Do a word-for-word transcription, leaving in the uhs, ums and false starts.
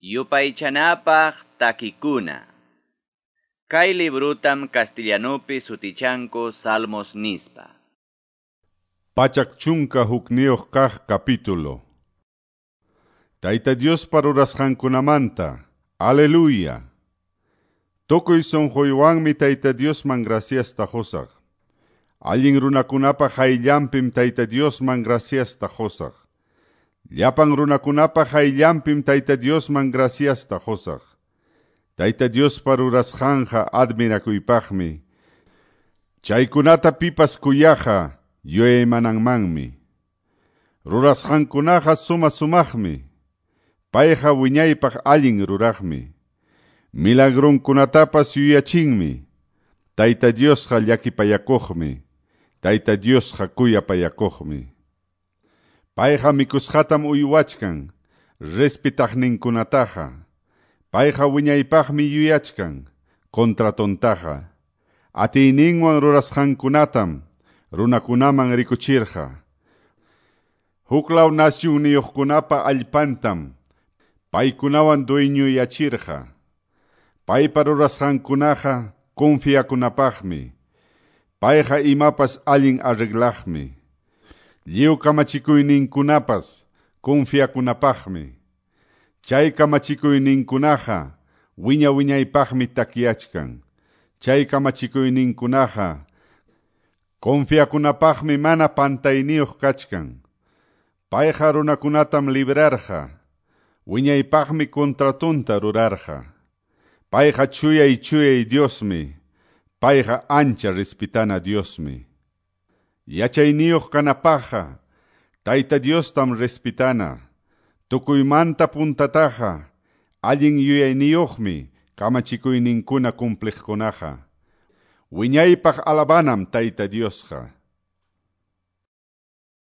Yupaychanapaq takikuna. Kay librutam castellanupi sutichanku Salmos nispa. Pachak chunka hukniyuq kaq capítulo. Tayta Diospa rurasqankunamanta. Aleluya. Tukuy sunquywanmi Tayta Diosman graciasta qusaq. Allin runakunapa hayllanpim Tayta Diosman graciasta qusaq. Llapan runakunapa hayllanpim Tayta Diosman graciasta qusaq. Tayta Diospa rurasqanqa admirakuypaqmi. Chaykunata pipas kuyaqa yuyaymananmanmi. Rurasqankunaqa suma sumaqmi. Payqa wiñaypaq allin ruraqmi. Milagrunkunatapas yuyachinmi. Tayta Diosqa llakipayakuqmi. Tayta Diosqa kuyapayakuqmi. Payqa mikusqatam uywachkan, respetaqninkunataqa. Payqa wiñaypaqmi yuyachkan, contratontaqa. Atiyninwan rurasqankunatam runakunaman rikuchirqa. Huklaw nasyunniyuqkunapa allpantam paykunawan dueñuyachirqa. Paypa rurasqankunaqa confiakunapaqmi. Payqa imapas allin arreglaqmi. Lliw kamachikuyninkunapas confiakunapaqmi. Chay kamachikuyninkunaqa wiña wiñaypaqmi takyachkan. Chay kamachikuyninkunaqa confiakunapaqmi mana pantayniyuq kachkan. Payqa runakunatam librarqa. Wiñaypaqmi contratunta rurarqa. Payqa chuyay chuyay Diosmi. Payqa ancha respetana Diosmi. Yachayniyuq kanapaqqa Tayta Diostam respetana. Tukuymanta puntataqa allin yuyayniyuqmi kamachikuyninkuna cumpliqkunaqa. Wiñaypaq alabanam Tayta Diosqa.